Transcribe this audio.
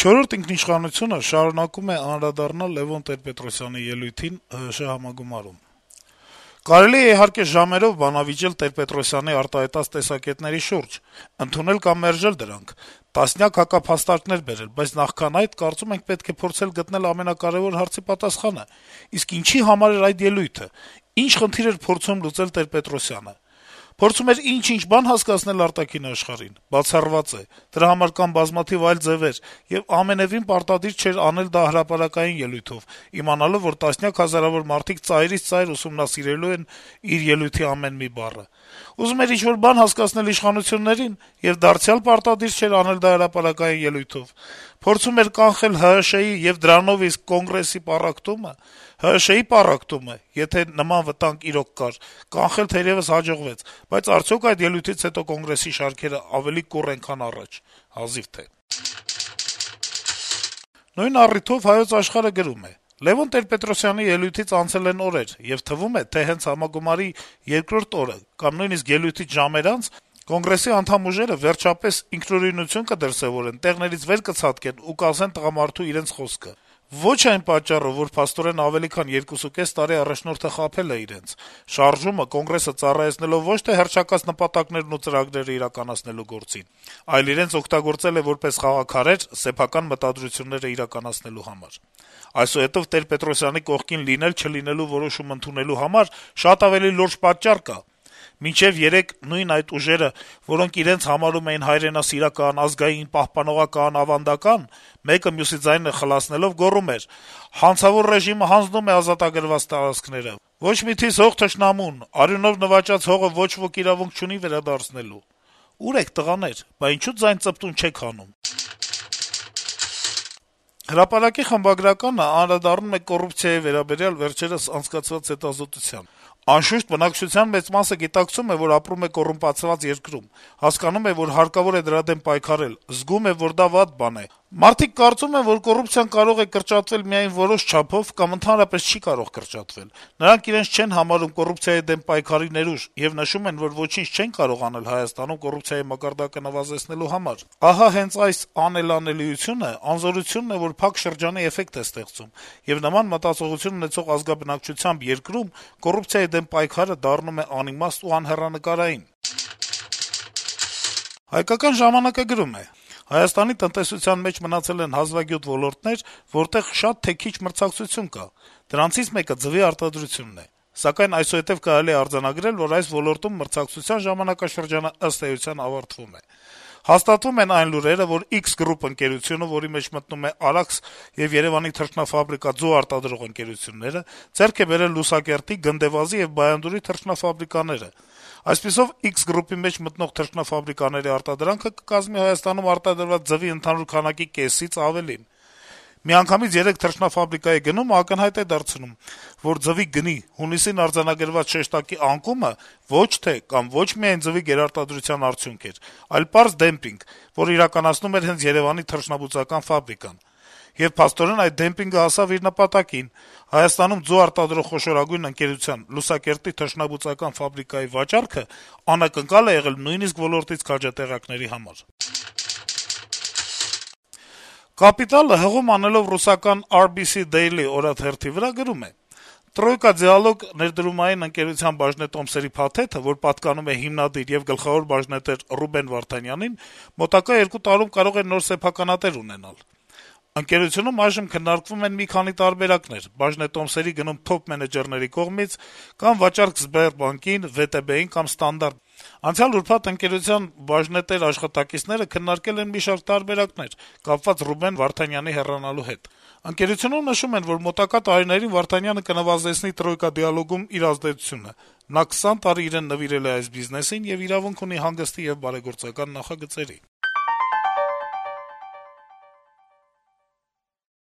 «Չորրորդ ինքնիշխանությունը» շարունակում է անդրադառնալ Լեւոն Տեր-Պետրոսյանի ելույթին ՀՀՇ համագումարում. - «Կարելի է, իհարկե, ժամերով բանավիճել Տեր-Պետրոսյանի արտահայտած տեսակետների շուրջ, ընդունել կամ մերժել դրանք, տասնյակ հակափաստարկներ բերել, բայց նախքան այդ, կարծում ենք, պետք է փորձել գտնել ամենակարեւոր հարցի պատասխանը. իսկ ինչի համար էր այդ ելույթը, ինչ խնդիր էր փորձում լուծել Տեր-Պետրոսյանը: Փորձում էր ինչ-ինչ բան հասկացնել արտաքին աշխարհին: Բացառված է: Դրա համար կան բազմաթիվ այլ ձեւեր, եւ ամենեւին պարտադիր չէր անել դա հրապարակային ելույթով, իմանալով, որ տասնյակ հազարավոր մարդիկ ծայրից ծայր ուսումնասիրելու են իր ելույթի ամեն մի բառը: Ուզում էր ինչ-որ բան հասկացնել իշխանություններին, եւ դարձյալ պարտադիր չէր անել դա հրապարակային ելույթով: Փորձում էր կանխել ՀՀՇ-ի եւ դրանով իսկ Կոնգրեսի պառակտումը: ՀՀՇ-ի պառակտումը, եթե նման վտանգ իրոք կար, կանխել թերեւս հաջողվեց, բայց արդյոք այդ ելույթից հետո Կոնգրեսի շարքերը ավելի կուռ են, քան առաջ: Հազիվ թե»: Նույն առիթով «Հայոց Աշխարհ»-ը գրում է. - «Լեւոն Տեր-Պետրոսյանի ելույթից անցել են օրեր, եւ թվում է, թե հենց համագումարի երկրորդ օրը կամ նույնիսկ ելույթից ժամեր անց Կոնգրեսի անդամ ուժերը վերջապես ինքնուրույնություն կդրսեւորեն, տեղներից վեր կցատկեն ու կասեն տղամարդու իրենց խոսքը: Ոչ այն պատճառով, որ փաստորեն ավելի քան 2.5 տարի առաջնորդը խաբել է իրենց, շարժումը, Կոնգրեսը ծառայեցնելով ոչ թե հռչակած նպատակներն ու ծրագրերը իրականացնելու գործին, այլ իրենց օգտագործել է որպես խաղաքարեր սեփական մտադրությունները իրականացնելու համար: Այսուհետեւ Տեր-Պետրոսյանի կողքին լինել-չլինելու որոշում ընդունելու համար շատ ավելի լուրջ պատճառ կա: Մինչեւ երեկ նույն այդ ուժերը, որոնք իրենց համարում էին հայրենասիրական, ազգային, պահպանողական, ավանդական, մեկը մյուսի ձայնը խլացնելով գոռում էր. «Հանցավոր ռեժիմը հանձնում է ազատագրված տարածքները, ոչ մի թիզ հող թշնամուն, արյունով նվաճած հողը ոչ ոք իրավունք չունի վերադարձնելու»: Ո՞ւր եք, տղաներ, բա ինչո՞ւ ձայն-ծպտուն չեք հանում»: «Հրապարակ»-ի խմբագրականը անդրադառնում է կոռուպցիայի վերաբերյալ վերջերս անցկացված հետազոտությանը. - «Անշուշտ, բնակչության մեծ մասը գիտակցում է, որ ապրում է կոռումպացված երկրում, հասկանում է, որ հարկավոր է դրա դեմ պայքարել, զգում է, որ դա վատ բան է: Մարդիկ կարծում են, որ կոռուպցիան կարող է կրճատվել միայն որոշ չափով կամ ընդհանրապես չի կարող կրճատվել: Նրանք իրենց չեն համարում կոռուպցիայի դեմ պայքարի ներուժ եւ նշում են, որ ոչինչ չեն կարող անել Հայաստանում կոռուպցիայի մակարդակը նվազեցնելու համար: Ահա հենց այս անելանելիությունը անզորությունն է, որ փակ շրջանի էֆեկտ է ստեղծում, եւ նման մտածողություն ունեցող ազգաբնակչությամբ երկրում կոռուպցիայի դեմ պայքարը դառնում է անիմաստ ու անհեռանկարային»: «Հայկական ժամանակ»-ը գրում է. - «Հայաստանի տնտեսության մեջ մնացել են հազվագյուտ ոլորտներ, որտեղ շատ թե քիչ մրցակցություն կա: Դրանցից մեկը ձվի արտադրությունն է: Սակայն այսուհետեւ կարելի է արձանագրել, որ այս ոլորտում մրցակցության ժամանակաշրջանը ըստ էության ավարտվում է: Հաստատվում են այն լուրերը, որ X Group ընկերությունը, որի մեջ մտնում է «Արաքս» եւ Երեւանի թռչնաֆաբրիկա «Ձու» արտադրող ընկերությունները, ձեռք է բերել Լուսակերտի, Գնդեվազի եւ Բայանդուրի թռչնաֆաբրիկաները: Այսպիսով, X Group-ի մեջ մտնող թռչնաֆաբրիկաների արտադրանքը կկազմի Հայաստանում արտադրված ձվի ընդհանուր քանակի կեսից ավելին: Միանգամից 3 թռչնաֆաբրիկայի գնումը ակնհայտ է դարձնում, որ ձվի գնի հունիսին արձանագրված շեշտակի անկումը ոչ թե կամ ոչ միայն ձվի գերարտադրության արդյունք էր, այլ պարզ դեմպինգ, որ իրականացնում էր հենց Երեւանի թռչնաբուծական ֆաբրիկան: Եվ փաստորեն այդ դեմպինգը հասավ իր նպատակին: Հայաստանում ձու արտադրող խոշորագույն ընկերության` Լուսակերտի թռչնաբուծական ֆաբրիկայի վաճառքը անակնկալ է եղել նույնիսկ ոլորտից քաջատեղյակների համար»: «Կապիտալ»-ը, հղում անելով ռուսական RBC Daily օրաթերթի վրա, գրում է. - «Troika Dialog ներդրումային ընկերության բաժնետոմսերի փաթեթը, որ պատկանում է հիմնադիր եւ գլխավոր բաժնետեր Ռուբեն Վարդանյանին, մոտակա 2 տարում կարող է նոր սեփականատեր ունենալ: Ընկերությունում այժմ քննարկվում են մի քանի տարբերակներ` բաժնետոմսերի գնում թոփ-մենեջերների կողմից կամ վաճառք Սբերբանկին, ՎՏԲ-ին կամ Ստանդարտ Բանկին: Անցյալ ուրբաթ ընկերության բաժնետեր աշխատակիցները քննարկել են մի շարք տարբերակներ` կապված Ռուբեն Վարդանյանի հեռանալու հետ: Ընկերությունում նշում են, որ մոտակա տարիներին Վարդանյանը կնվազեցնի Troika Dialog-ում իր ազդեցությունը: Նա 20 տարի իրեն նվիրել է այս բիզնեսին եւ իրավունք ունի հանգստի եւ բարեգործական նախագծերի»: